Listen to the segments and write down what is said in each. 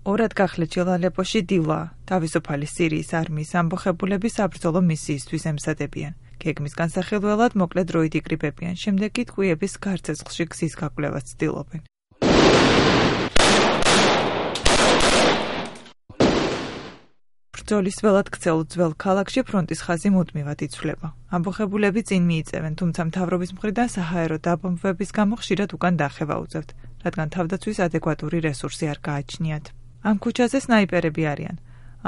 ორად გახლეჩილ ალეპოში დილა, თავისუფალი სირიის არმიის ამბოხებულები საბრძოლო მისიისთვის ემზადებიან. გეგმის განსახილველად მოკლე დროით იკრიბებიან, შემდეგ კი ტყვიების გარცეცხლში გზის გაკვლევას ცდილობენ. ბრძოლის ველად ქცეულ ძველ ქალაქში ფრონტის ხაზი მუდმივად იცვლება. ამბოხებულები წინ მიიწევენ, თუმცა მთავრობის მხრიდან საჰაერო დაბომბვების გამო ხშირად უკან დახევა უწევთ, რადგან თავდაცვის ადეკვატური რესურსი არ გააჩნიათ. ამ ქუჩაზე სნაიპერები არიან.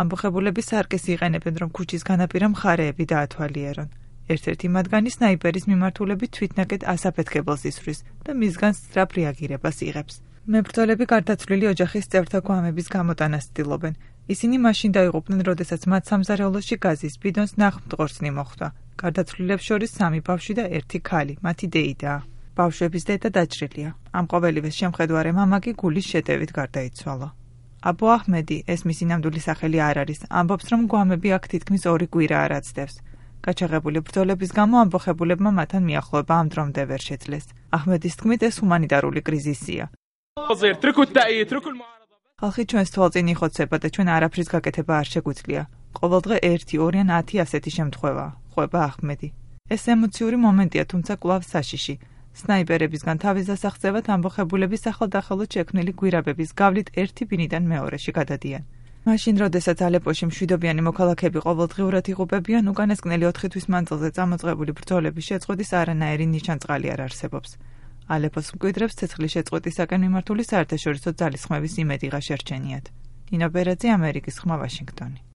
ამბოხებულები სარკეს იყენებენ, რომ ქუჩის განაპირა მხარეები დაათვალიერონ. ერთ-ერთი მათგანი სნაიპერის მიმართულებით თვითნაკეთ ასაფეთქებელს ისვრის და მისგან სწრაფ რეაგირებას იღებს. მებრძოლები გარდაცვლილი ოჯახის წევრთა გვამების გამოტანას ცდილობენ. ისინი მაშინ დაიღუპნენ, როდესაც მათ სამზარეულოში გაზის ბიდონს ნახმტყორცნი მოხვდა. გარდაცვლილებს შორის 3 ბავშვი და 1 ქალი, მათი დეიდაა. ბავშვების დედა დაჭრილია. ამ ყოველივეს შემხედვარე მამა კი გულის შეტევით გარდაიცვალა. აბუ აჰმედი, ეს მისი ნამდვილი სახელი არ არის, ამბობს, რომ გვამები აქ თითქმის 2 კვირა არ აცდევს. გაჩაღებული ბრძოლების გამო ამბოხებულებმა მათთან მიახლოება ამ დრომდე ვერ შეძლეს. აჰმედის თქმით, ეს ჰუმანიტარული კრიზისია. ხალხი ჩვენს თვალწინ იხოცება და ჩვენ არაფრის გაკეთება არ შეგვიძლია. ყოველდღე 1, 2 ან 10 ასეთი შემთხვევაა, ყვება აჰმედი. ეს ემოციური მომენტია, თუმცა კვლავ საშიში. სნაიპერებისგან თავის დასაღწევად ამბოხებულების ახალ-დახელოდ შექმნილი გვირაბების გავლით ერთი ბინიდან მეორეში გადადიან. მაშინ, როდესაც ალეპოში მშვიდობიანი მოქალაქეები ყოველდღიურად იღუპებიან, უკანასკნელი 4 თვის მანძილზე წამოწყებული ბრძოლების შეწყვეტის არანაირი ნიშანწყალი არ არსებობს. ალეპოს მკვიდრებს ცეცხლის შეწყვეტისაკენ მიმართული საერთაშორისო ძალისხმევის იმედი ღა შერჩენიათ. ნინო ბერაძე, ამერიკის ხმა, ვაშინგტონი.